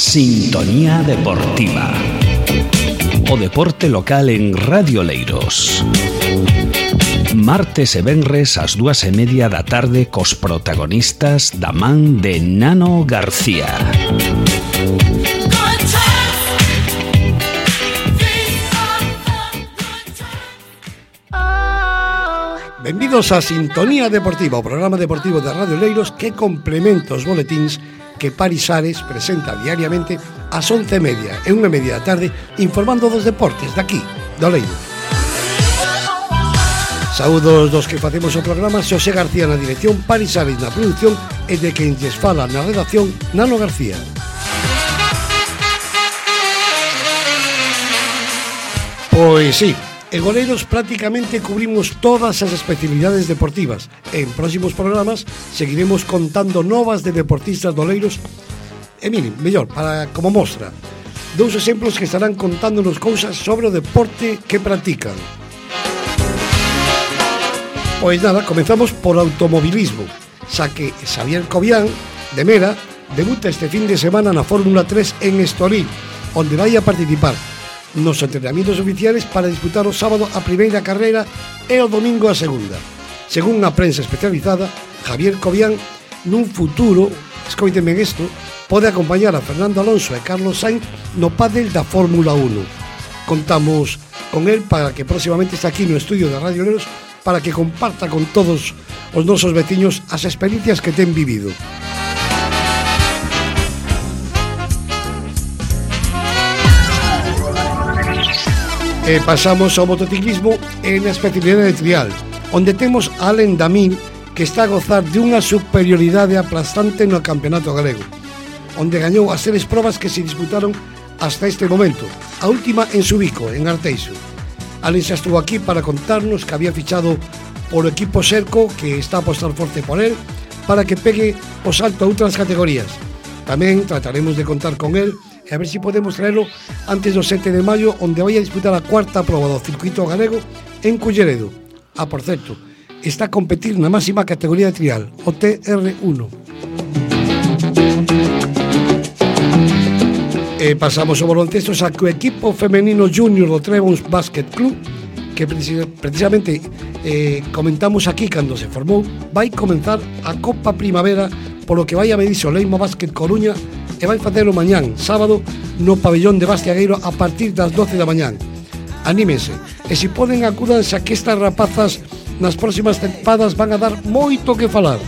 Sintonía Deportiva. O deporte local en Radio Oleiros. Martes e venres ás 2:30 da tarde cos protagonistas da man de Nano García. Benvidos a Sintonía Deportiva, o programa deportivo de Radio Oleiros que complementa os boletíns que Paris Ares presenta diariamente ás 11:30 e 1:30 da tarde, informando dos deportes daqui, de Oleiros. Saúdos dos que facemos o programa, Xosé García na dirección, Paris Ares na produción e de quen lles fala na redacción, Nano García. Pois sí, en Oleiros prácticamente cubrimos todas as especialidades deportivas. En próximos programas seguiremos contando novas de deportistas de Oleiros. E miren, mellor, para como mostra, dous exemplos que estarán contándonos cousas sobre o deporte que practican. Pois nada, comenzamos por automobilismo, xa que Xavier Cobián, de Mera, debuta este fin de semana na Fórmula 3 en Estoril, onde vai a participar nos entrenamientos oficiales para disputar o sábado a primeira carreira e o domingo a segunda. Según a prensa especializada, Javier Cobián, nun futuro, escoíteme isto, pode acompañar a Fernando Alonso e Carlos Sainz no pádel da Fórmula 1. Contamos con el para que próximamente está aquí no estudio de Radio Oleiros para que comparta con todos os nosos veciños as experiencias que ten vivido. Pasamos ao motociclismo en a especialidade de trial, onde temos a Alain Damil, que está a gozar de unha superioridade aplastante no campeonato galego, onde gañou as 3 probas que se disputaron hasta este momento, a última en Subico, en Arteixo. Alain xa estuvo aquí para contarnos que había fichado polo equipo Serco, que está a apostar forte por él, para que pegue o salto a outras categorías. Tamén trataremos de contar con él e a ver se podemos traerlo antes do 7 de maio, onde vai a disputar a 4ª proba do circuito galego en Culleredo. Por certo, está a competir na máxima categoría de trial, o TR1. Pasamos ao baloncesto, xa que o equipo femenino junior do Trebons Basket Club, que precisamente comentamos aquí cando se formou, vai comenzar a Copa Primavera, polo que vai a medirse o Leima Basket Coruña e vai facelo mañán, sábado, no pabellón de Bastiagueiro a partir das 12 da mañán. Anímense, e se poden acúdanse a que estas rapazas nas próximas tempadas van a dar moito que falar.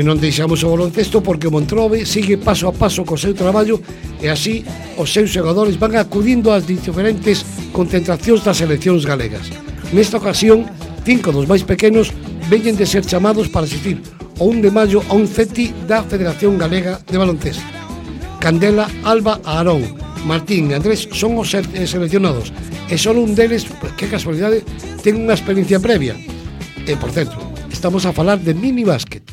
Non deixamos o baloncesto porque o Montrobe sigue paso a paso co seu traballo e así os seus xogadores van acudindo ás diferentes concentracións das seleccións galegas. Nesta ocasión, 5 dos máis pequenos veñen de ser chamados para asistir o 1 de maio a un CETI da Federación Galega de Baloncesto. Candela, Alba, Aarón, Martín e Andrés son os seleccionados e só un deles, pues, que casualidade, ten unha experiencia previa. E, por certo, estamos a falar de mini básquet.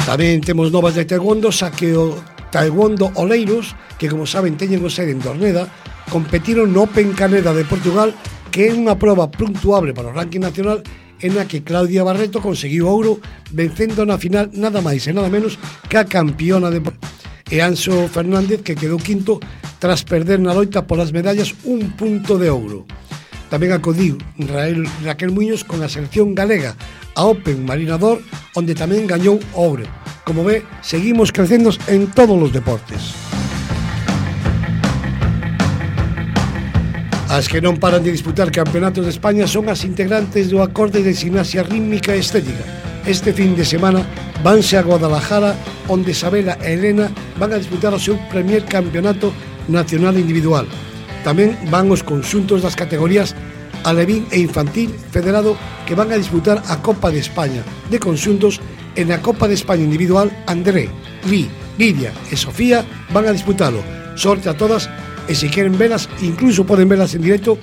Tamén temos novas de taekwondo, xa que o Taekwondo Oleiros, que como saben teñen o sede en Dorneda, competiron no Open Caneda de Portugal, que é unha proba puntuable para o ranking nacional en a que Claudia Barreto conseguiu ouro vencendo na final nada máis e nada menos que a campiona de e Anxo Fernández, que quedou quinto tras perder na loita polas medallas un punto de ouro. Tamén acudiu Raquel Muñoz con a selección galega a Open Marinador, onde tamén gañou ouro. Como ve, seguimos crecendo en todos os deportes. As que non paran de disputar campeonatos de España son as integrantes do acorde de gimnasia rítmica e estética. Este fin de semana vanse a Guadalajara, onde Isabela e Elena van a disputar o seu primer campeonato nacional individual. Tamén van os conxuntos das categorías alevín e infantil federado, que van a disputar a Copa de España de conxuntos. En a Copa de España individual, André, Lidia e Sofía van a disputalo. Sorte a todas, e se queren velas, incluso poden velas en directo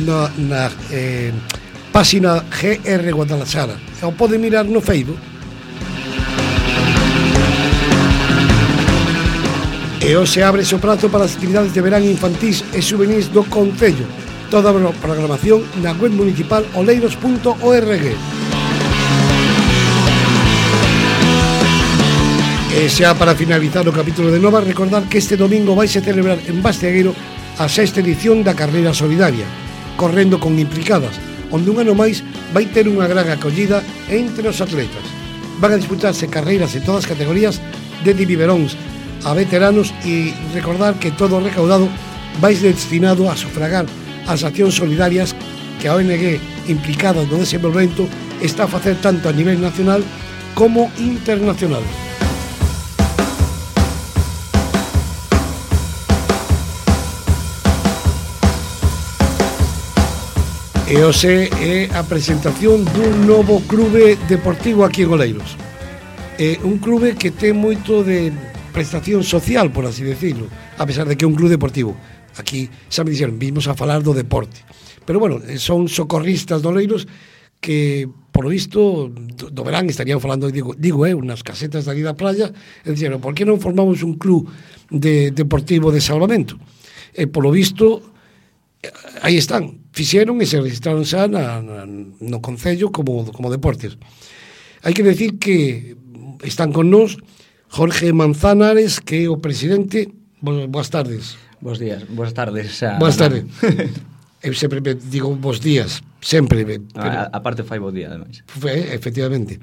na página GR Guadalajara, ou poden mirar no Facebook. E hoxe abre o prazo para as actividades de verán infantís e juvenis do Concello. Toda a programación na web municipal oleiros.org. Xa para finalizar o capítulo de Nova, recordar que este domingo vai se celebrar en Bastegueiro a sexta edición da Carreira Solidaria, correndo con implicadas, onde un ano máis vai ter unha gran acollida entre os atletas. Van a disputarse carreiras en todas as categorías, desde biberóns a veteranos, e recordar que todo o recaudado vai destinado a sufragar as accións solidarias que a ONG implicada no desenvolvemento está a facer tanto a nivel nacional como internacional. E hoxe é a presentación dun novo clube deportivo aquí en Oleiros. É un clube que ten moito de prestación social, por así decirlo, a pesar de que é un clube deportivo. Aquí xa me dixeron, vimos a falar do deporte. Pero bueno, son socorristas de Oleiros que, por lo visto, do verán estarían falando, digo unas casetas de ali da playa, e dixeron, por que non formamos un club deportivo de salvamento? E, por lo visto, aí están, fixeron e se registraron xa no Concello como deportes. Hai que decir que están con nós Jorge Manzanares, que é o presidente. Boas tardes. Bos días, boas tardes. Boas tardes. Eu sempre digo bos días, sempre. A parte fai bo día, ademais. Efectivamente.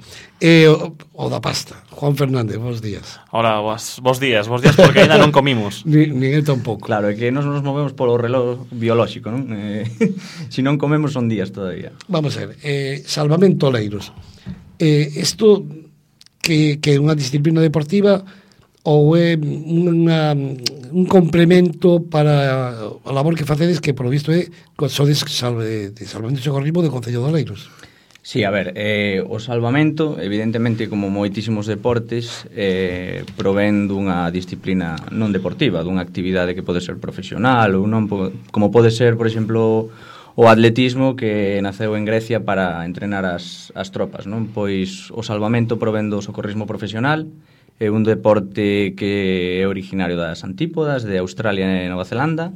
O da pasta, Juan Fernández, bos días. Ahora, bos días porque ainda non comimos. Nin eu tampouco. Claro, é que nos movemos polo reloj biolóxico, non? Se non comemos son días todavía. Vamos a ver, Salvamento Oleiros. Isto que é unha disciplina deportiva ou é un complemento para a labor que facedes, que polo visto sodes de salvamento e socorrismo do Concello de Oleiros. Sí, a ver, o salvamento, evidentemente, como moitísimos deportes, provén dunha disciplina non deportiva, dunha actividade que pode ser profesional ou non, como pode ser, por exemplo, o atletismo, que naceu en Grecia para entrenar as tropas, non? Pois o salvamento provén do socorrismo profesional. É un deporte que é originario das Antípodas, de Australia e Nova Zelanda,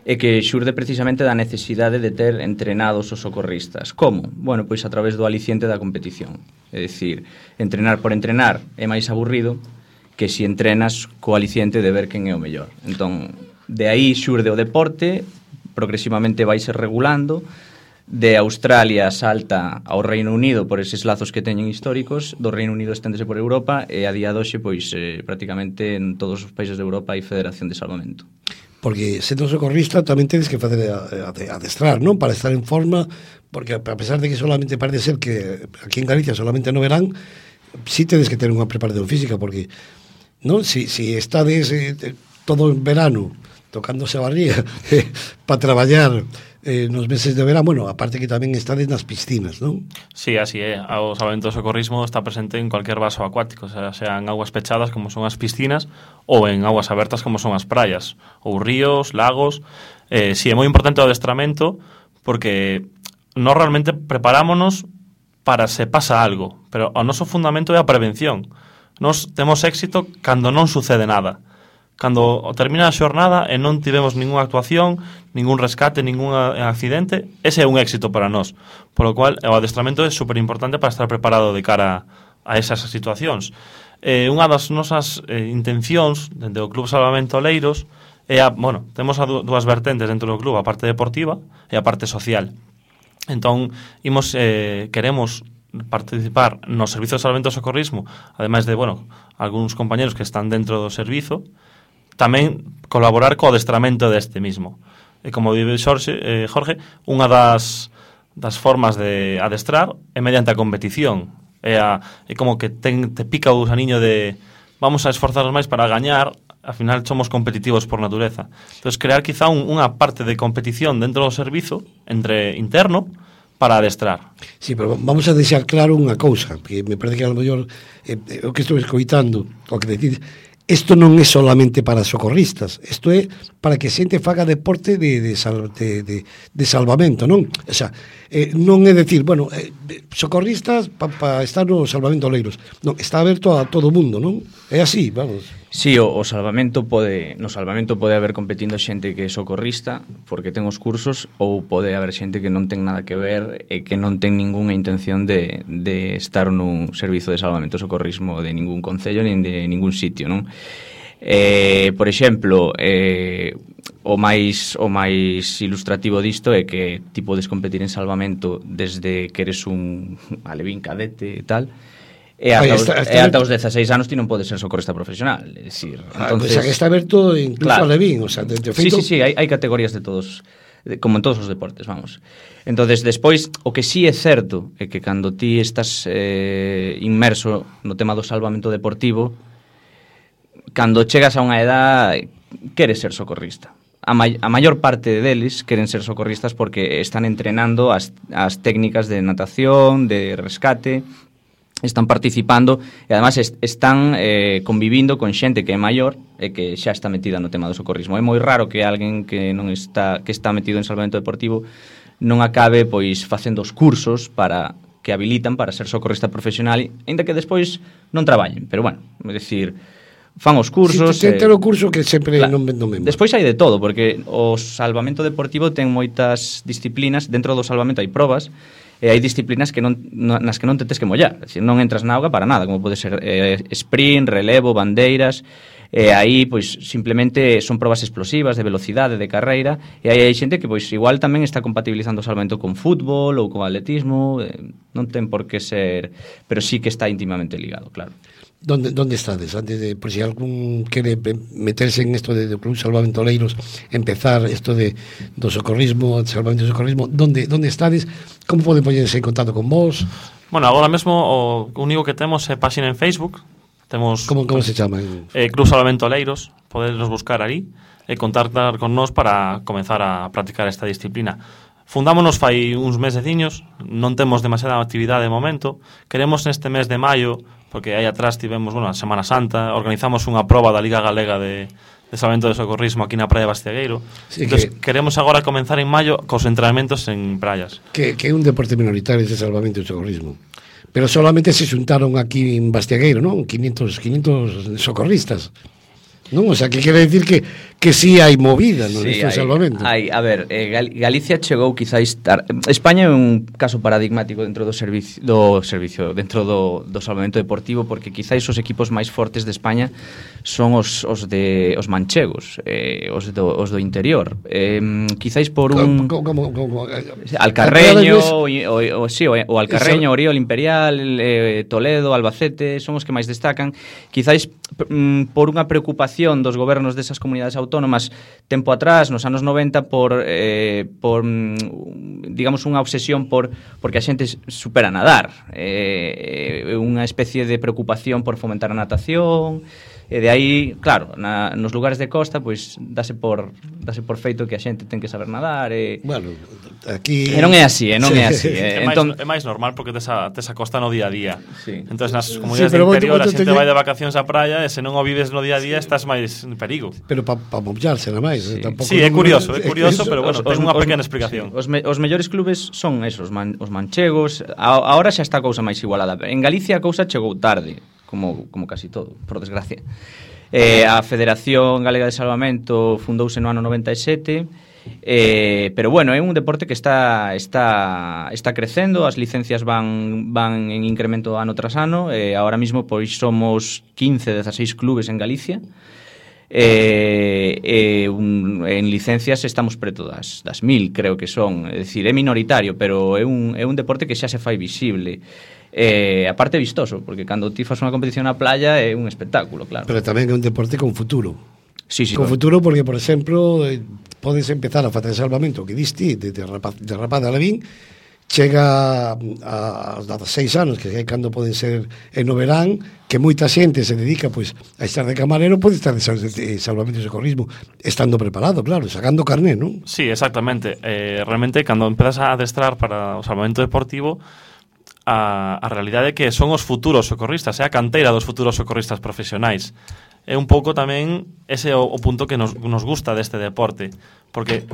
e que xurde precisamente da necesidade de ter entrenados os socorristas. Como? Bueno, pois a través do aliciente da competición. É dicir, entrenar por entrenar é máis aburrido que se entrenas co aliciente de ver quen é o mellor. Entón, de aí xurde o deporte, progresivamente vai ser regulando. De Australia salta ao Reino Unido por eses lazos que teñen históricos, do Reino Unido esténdese por Europa, e a día de hoxe, pois, prácticamente en todos os países de Europa hai Federación de Salvamento. Porque sendo socorrista tamén tedes que facer adestrar, non? Para estar en forma, porque a pesar de que solamente parece ser que aquí en Galicia solamente no verán, sí tedes que ter unha preparación física, porque non si estades todo en verano tocándose a barriga para traballar nos meses de verán, bueno, aparte que tamén estades nas piscinas, non? Sí, así é. O salvamento do socorrismo está presente en cualquier vaso acuático, sea en aguas pechadas como son as piscinas ou en aguas abertas como son as praias ou ríos, lagos. Sí, é moi importante o adestramento porque nós realmente preparámonos para se pasa algo, pero o noso fundamento é a prevención. Nós temos éxito cando non sucede nada. Cando termina a xornada e non tivemos ninguna actuación, ningún rescate, ningún accidente, ese é un éxito para nós. Por lo cual, o adestramento é super importante para estar preparado de cara a esas situacións. Unha das nosas intencións dentro do Club Salvamento Oleiros é temos dúas vertentes dentro do club, a parte deportiva e a parte social. Entón, queremos participar no servizo de salvamento e socorrismo, ademais de, algúns compañeros que están dentro do servizo, tamén colaborar co adestramento deste mismo. E como dice Jorge, unha das formas de adestrar é mediante a competición. É como que te pica o gusaniño de vamos a esforzarnos máis para gañar, ao final somos competitivos por natureza. Entón, crear quizá unha parte de competición dentro do servizo entre interno para adestrar. Sí, pero vamos a deixar claro unha cousa, que me parece que a lo mellor o que estou escoitando, o que decís, isto non é solamente para socorristas, isto é para que xente faga deporte de salvamento, non? O sea, non é decir, socorristas para estar no salvamento Oleiros. Non, está aberto a todo o mundo, non? É así, vamos. Sí, no salvamento pode haber competindo xente que é socorrista porque ten os cursos, ou pode haber xente que non ten nada que ver e que non ten ningunha intención de estar nun servizo de salvamento e socorrismo de ningún concello nin de ningún sitio, non? Por exemplo, o máis ilustrativo disto é que ti podes competir en salvamento desde que eres un alevín cadete e tal, e ata os 16 anos ti non podes ser socorrista profesional, é dicir, entonces, pues está aberto incluso a alevín, o sea, de feito... Sí, hai categorías de todos, como en todos os deportes, vamos. Entonces, despois, o que sí é certo é que cando ti estás inmerso no tema do salvamento deportivo, cando chegas a unha edad queres ser socorrista. A maior parte deles queren ser socorristas porque están entrenando as técnicas de natación, de rescate, están participando e además están convivindo con xente que é maior e que xa está metida no tema do socorrismo. É moi raro que alguén que está metido en salvamento deportivo non acabe pois facendo os cursos que habilitan para ser socorrista profesional, aínda que despois non traballen, pero bueno, é dicir, fan os cursos. Si, ten o curso que sempre claro, non vendo mesmo. Despois hai de todo, porque o salvamento deportivo ten moitas disciplinas, dentro do salvamento hai probas, e hai disciplinas nas que non te tes que mollar, é dicir, non entras na auga para nada, como pode ser sprint, relevo, bandeiras, e aí pois simplemente son probas explosivas de velocidade, de carreira, e aí hai xente que pois igual tamén está compatibilizando o salvamento con fútbol ou con atletismo, non ten por que ser, pero sí que está íntimamente ligado, claro. ¿Dónde estades? Antes de, por si algún quere meterse en esto de Club Salvamento Oleiros, empezar esto do socorrismo, salvamento e socorrismo, ¿dónde estades? Como poden poñerse en contacto con vos? Bueno, agora mesmo o único que temos é páxina en Facebook. Temos Como se chama? Club Salvamento Oleiros, poderos buscar ali e contactar con nós para comenzar a practicar esta disciplina. Fundámonos fai uns meseciños, non temos demasiada actividade de momento. Queremos neste mes de maio, porque aí atrás tivemos, a Semana Santa, organizamos unha proba da Liga Galega de salvamento de socorrismo aquí na praia de Bastiagueiro. Sí, entonces, queremos agora comenzar en maio cos entrenamentos en praias. Que é un deporte minoritario ese salvamento e socorrismo. Pero solamente se xuntaron aquí en Bastiagueiro, non? 500 socorristas. Non, o sea, que quere decir que sí hai movida no sí, salvamento. A ver, Galicia chegou quizáis España é un caso paradigmático dentro do servicio dentro do salvamento deportivo, porque quizáis os equipos máis fortes de España son os manchegos, os do interior. Quizáis por un Alcarreño, o Alcarreño, Oriol, Imperial, Toledo, Albacete, son os que máis destacan. Quizáis por unha preocupación dos gobernos desas comunidades autónomas tempo atrás, nos anos 90, por digamos, unha obsesión porque a xente supera nadar, unha especie de preocupación por fomentar a natación, e de aí, claro, nos lugares de costa pois dase por feito que a xente ten que saber nadar, bueno, aquí non é así, non é así. É máis normal porque tes a costa no día a día. Sí. Entonces nas comunidades de interior a xente vai de vacacións á praia e se non o vives no día a día estás máis en perigo. Pero para mollarse nada máis, tampouco. Sí, é curioso, pero bueno, ten unha pequena explicación. Os mellores clubes son esos, os manchegos. Ahora xa está a cousa máis igualada. En Galicia a cousa chegou tarde, como casi todo, por desgracia. A Federación Galega de Salvamento fundouse no ano 97, pero bueno, é un deporte que está crecendo, as licencias van en incremento ano tras ano, ahora mismo pois somos 15-16 clubes en Galicia, en licencias estamos preto das 1000, creo que son, é dicir, é minoritario, pero é un deporte que xa se fai visible. Aparte vistoso, porque cando ti fas unha competición na playa é un espectáculo, claro. Pero tamén é un deporte con futuro. Sí, con futuro, porque, por exemplo, podes empezar a facer salvamento que diste de rapaz de Alevín, chega a 16 anos, que é cando poden ser no verán, que moita xente se dedica pois a estar de camarero, pode estar de salvamento e socorrismo estando preparado, claro, sacando carné, non? Sí, exactamente. Realmente, cando empezas a adestrar para o salvamento deportivo, a realidade é que son os futuros socorristas, é a canteira dos futuros socorristas profesionais. É un pouco tamén ese o punto que nos gusta deste deporte, porque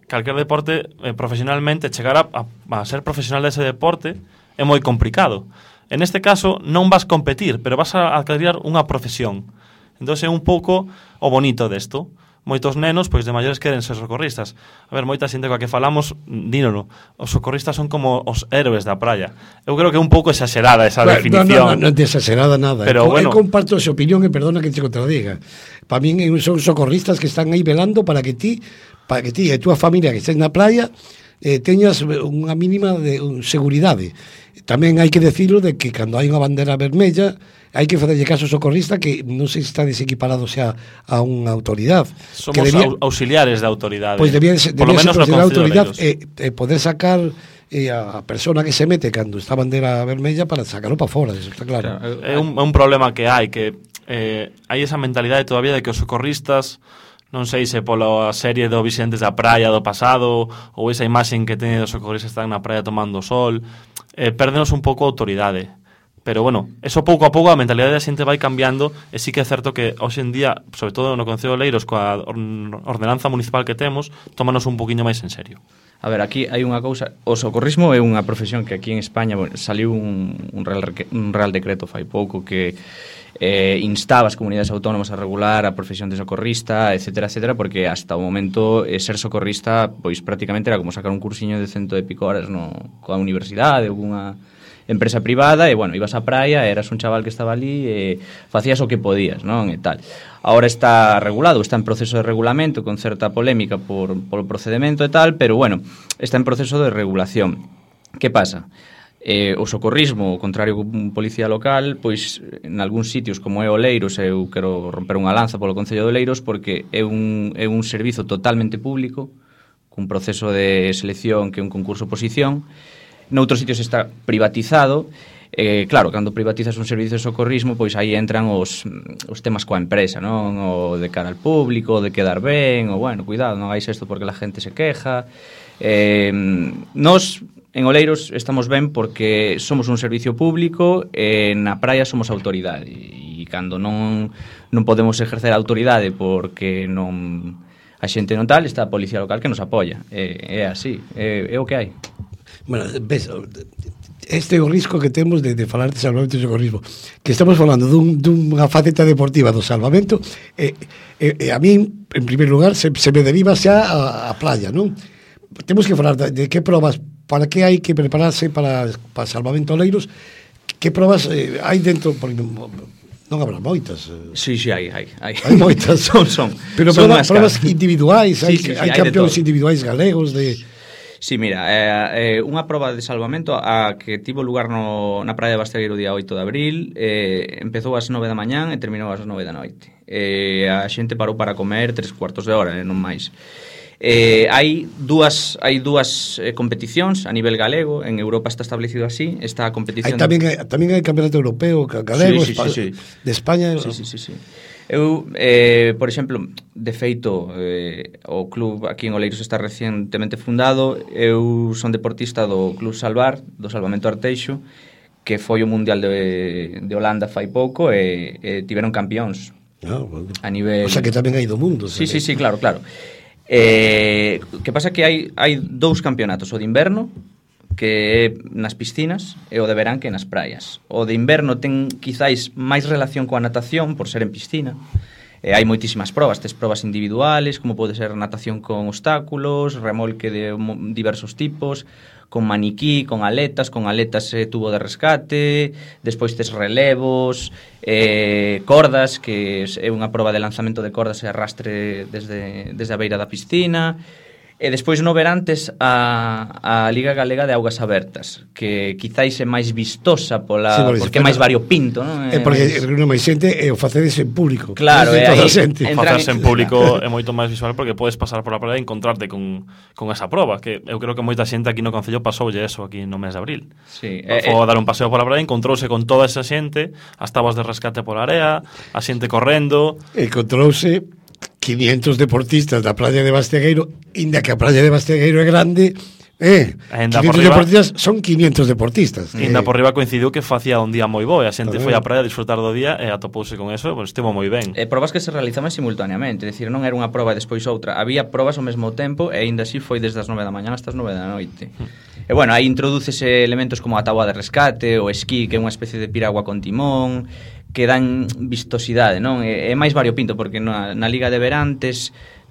calquer deporte profesionalmente chegar a ser profesional dese deporte é moi complicado. En este caso non vas competir, pero vas a adquirir unha profesión. Entón é un pouco o bonito desto. Moitos nenos, pois de maiores queren ser socorristas. A ver, moita xente coa que falamos, dínolo, os socorristas son como os héroes da praia. Eu creo que é un pouco exagerada esa definición. Non é exagerada nada. Pero bueno, eu comparto esa opinión e perdona que te contradiga. Para min son socorristas que están aí velando para que ti e a túa familia que estés na praia teñas unha mínima de seguridade. Tamén hai que decirlo de que cando hai unha bandera vermella hai que facerlle caso ao socorrista, que non sei se está desequiparado xa a unha autoridade. Somos auxiliares da autoridade. Pois debía ser por lo menos no Concello de Oleiros. Poder sacar a persona que se mete cando está a bandera vermella para sacarlo para fora, eso está claro. É un problema que hai hai esa mentalidade todavía de que os socorristas, non sei se pola serie do Vicentes da Praia do pasado ou esa imaxen que teñen os socorristas están na praia tomando sol, pérdenos un pouco a autoridade. Pero bueno, eso pouco a pouco a mentalidade da xente vai cambiando e sí que é certo que hoxe en día, sobre todo no Concello de Oleiros, coa ordenanza municipal que temos, tómanos un poquinho máis en serio. A ver, aquí hai unha cousa, o socorrismo é unha profesión que aquí en España saliu un real decreto fai pouco que instaba as comunidades autónomas a regular a profesión de socorrista, etcétera, etcétera, porque hasta o momento ser socorrista pois prácticamente era como sacar un cursiño de 100 e pico horas coa universidade ou cunha empresa privada, e bueno, ibas á praia, eras un chaval que estaba ali e facías o que podías, non? E tal. Ahora está regulado, está en proceso de regulamento con certa polémica polo procedemento e tal, pero bueno, está en proceso de regulación. Que pasa? O socorrismo, ao contrario que un policía local, pois en algúns sitios como é Oleiros, eu quero romper unha lanza polo Concello de Oleiros porque é un servizo totalmente público, cun proceso de selección que é un concurso-oposición. Noutros sitios está privatizado. Claro, cando privatizas un servicio de socorrismo, pois aí entran os temas coa empresa, non? O de cara al público, de quedar ben, o bueno, cuidado, non hagáis isto porque la gente se queja. Nos en Oleiros estamos ben porque somos un servicio público e na praia somos autoridade, e cando non podemos exercer a autoridade porque a xente non tal, está a policía local que nos apoia. É así, é o que hai. Bueno, ves, este é o risco que temos de falar de salvamento e socorrismo, que estamos falando dunha faceta deportiva do salvamento, a min, en primeiro lugar, se me deriva xa a playa, non? Temos que falar de que probas, para que hai que prepararse para salvamento Oleiros, que probas hai dentro, porque non habrá moitas. Sí, hai. Hai moitas. son. Pero probas individuais, hai campeóns individuais galegos de... Sí, mira, unha proba de salvamento a que tivo lugar na praia de Bastegueiro o día 8 de abril, empezou ás 9 da mañán e terminou ás 9 da noite. A xente parou para comer 3/4 de hora, non máis. Hai dúas competicións a nivel galego, en Europa está establecido así, esta competición... Tamén hai campeonato europeo galego, sí. De España... Sí. Eu, por exemplo, de feito, o club aquí en Oleiros está recientemente fundado. Eu son deportista do Club Salvar, do Salvamento Arteixo, que foi o Mundial de Holanda fai pouco, e tiveron campións a nivel... O sea que tamén hai do mundo. Sí, claro. Que pasa que hai dous campeonatos, o de inverno, que é nas piscinas, e o de verán que é nas praias. O de inverno ten quizáis máis relación coa natación por ser en piscina. Hai moitísimas probas, tes probas individuales, como pode ser natación con obstáculos, remolque de diversos tipos, con maniquí, con aletas tubo de rescate, despois tes relevos, cordas, que é unha proba de lanzamento de cordas e arrastre desde a beira da piscina. E despois no verán tes a Liga Galega de Augas Abertas, que quizáis é máis vistosa porque é máis variopinto, non? Porque non máis xente e o facedes en público. Claro, facerse en público é moito máis visual porque podes pasar por a praia e encontrarte con esa proba, que eu creo que moita xente aquí no Concello pasoulle eso aquí no mes de abril. Sí, foi a dar un paseo pola praia, encontrouse con toda esa xente, as tabas de rescate pola area, a xente correndo, encontrouse 500 deportistas da praia de Bastegueiro, inda que a praia de Bastegueiro é grande, 500 deportistas son 500 deportistas. Inda por riba coincidiu que facía un día moi bo, e a xente foi á praia a disfrutar do día e atopouse con eso, pois estivo moi ben. Probas que se realizaban simultaneamente, é dicir, non era unha proba e despois outra, había probas ao mesmo tempo e aínda así foi desde as 9 da mañá hasta as 9 da noite. E bueno, aí introdúcese elementos como a táboa de rescate, o esquí, que é unha especie de piragua con timón, que dan vistosidade, non? É máis variopinto, porque na Liga de Verán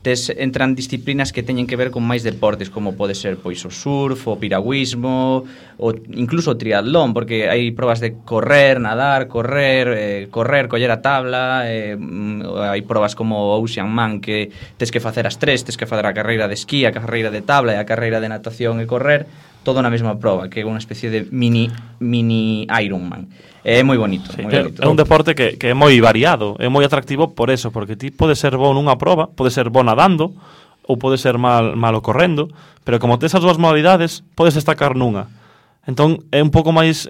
entran disciplinas que teñen que ver con máis deportes, como pode ser pois o surf, o piragüismo, ou incluso o triatlón, porque hai probas de correr, nadar, correr, coller a tabla, hai probas como o Ocean Man, que tes que facer as tres, tes que facer a carreira de esquí, a carreira de tabla e a carreira de natación e correr, todo na mesma proba, que é unha especie de mini Ironman. É moi bonito, sí, moi bonito. É un deporte que é moi variado, é moi atractivo por eso, porque ti pode ser bo nunha proba, pode ser bo nadando, ou pode ser malo correndo, pero como tes as dúas modalidades, podes destacar nunha. Entón, é un pouco máis...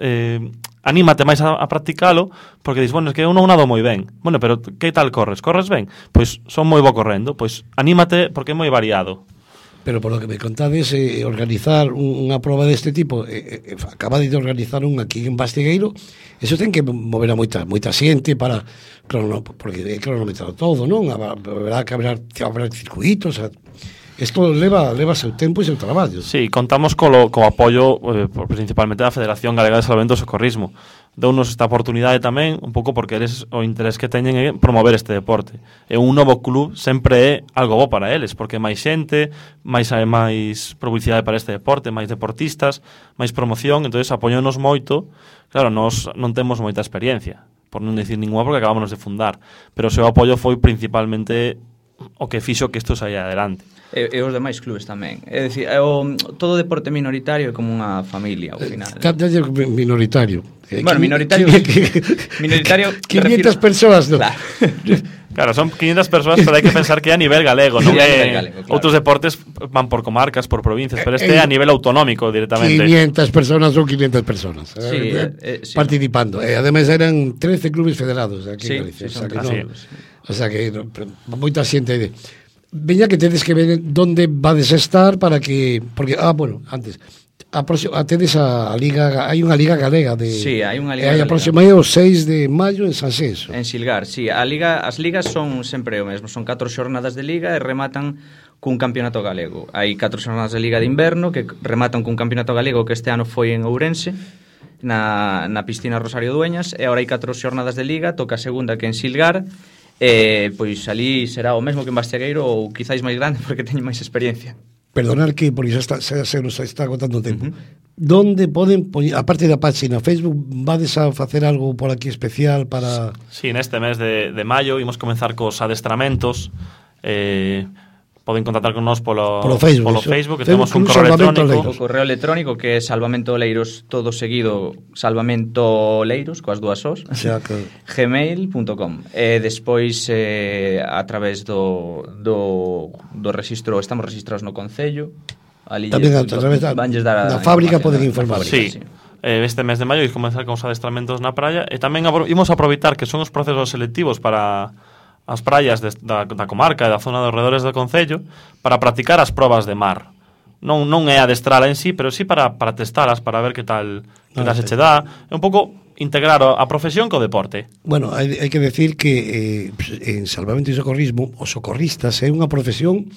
anímate máis a practicalo, porque dis, bueno, é que eu non nado moi ben. Bueno, pero que tal corres? Corres ben? Pois son moi bo correndo, pois anímate porque é moi variado. Pero por lo que me contades, organizar unha proba deste tipo, acaba de organizar un aquí en Bastigueiro, eso ten que mover a moita xente para porque é cronometrado todo, non? Habrá que haber circuitos, isto leva seu tempo e seu traballo. Sí, contamos co apoio principalmente da Federación Galega de Salvamento e Socorrismo. Deunos esta oportunidade tamén, un pouco porque eres o interés que teñen é promover este deporte. E un novo club sempre é algo bo para eles, porque máis xente, máis publicidade para este deporte, máis deportistas, máis promoción, entonces apoianos moito. Claro, nós non temos moita experiencia, por non dicir ninguna, porque acabamos de fundar, pero o seu apoio foi principalmente o que fixo que isto saia adelante. E os demais clubes tamén. É dicir, todo deporte minoritario é como unha familia ao final. Minoritario. Bueno, minoritario 500 persoas, non? Claro, son 500 persoas, pero hai que pensar que é a nivel galego, non é galego, claro. Outros deportes van por comarcas, por provincias, pero este é a nivel autonómico directamente. 500 personas son 500 personas sí, participando. Ademais eran 13 clubes federados aquí en Galicia. O sea que moita xente veña que tedes que ver onde vades estar para que... Porque, antes... tedes a Liga... Hai unha Liga Galega de... Sí, hai unha Liga Galega. A próxima é o 6 de maio en Sanxenxo. En Silgar, sí. As ligas son sempre o mesmo. Son 4 xornadas de Liga e rematan cun campeonato galego. Hai 4 xornadas de Liga de Inverno que rematan cun campeonato galego que este ano foi en Ourense, na piscina Rosario Dueñas, e agora hai 4 xornadas de Liga, toca a segunda que en Silgar. Pois ali será o mesmo que en Bastegueiro ou quizáis máis grande porque teñen máis experiencia. Perdonar que porque se nos está agotando o tempo. Donde poden poñer, aparte da página Facebook, vades a facer algo por aquí especial para... Sí, neste mes de maio imos comenzar cos adestramentos. Poden contactar con nós polo Facebook, que temos un correo electrónico. O correo electrónico que é salvamentoleiros, todo seguido, salvamentoleiros, coas dúas os, gmail.com. E despois, a través do registro, estamos registrados no Concello. Ali tamén a través da fábrica poden informar. Sí. Este mes de maio imos comenzar con os adestramentos na praia e tamén imos aproveitar que son os procesos selectivos para as praias da comarca e da zona dos redores do Concello para practicar as probas de mar. Non é adestrala en sí, pero sí para testalas, para ver que tal se che dá. É un pouco integrar a profesión co deporte. Bueno, hai que decir que en Salvamento e Socorrismo os socorristas é unha profesión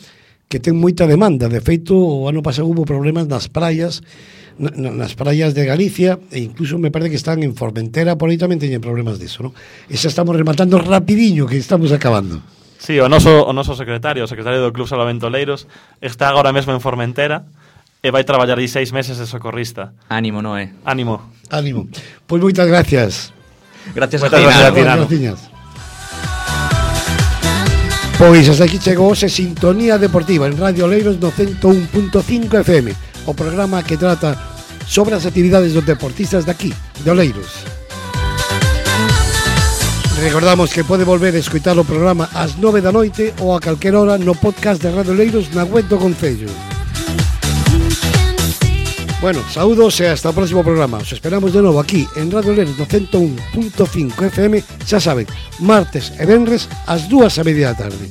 que ten moita demanda. De feito, o ano pasado hubo problemas nas praias de Galicia, e incluso me parece que están en Formentera, por aí tamén teñen problemas disso, non? E xa estamos rematando rapidiño, que estamos acabando. Sí, o noso secretario do Club Salvamento Leiros, está agora mesmo en Formentera e vai traballar aí 6 meses de socorrista. Ánimo, Noé. Ánimo. Pois moitas gracias. Gracias a ti, Nano. Pois hasta aquí chegou Sintonía Deportiva en Radio Oleiros no 101.5 FM, o programa que trata sobre as actividades dos deportistas de aquí, de Oleiros. Recordamos que pode volver a escoitar o programa ás 9 da noite ou a calquera hora no podcast de Radio Oleiros na web do Concello. Bueno, saúdos e hasta o próximo programa. Os esperamos de novo aquí en Radio Oleiros no 101.5 FM, xa saben, martes e venres ás 2:30 da tarde.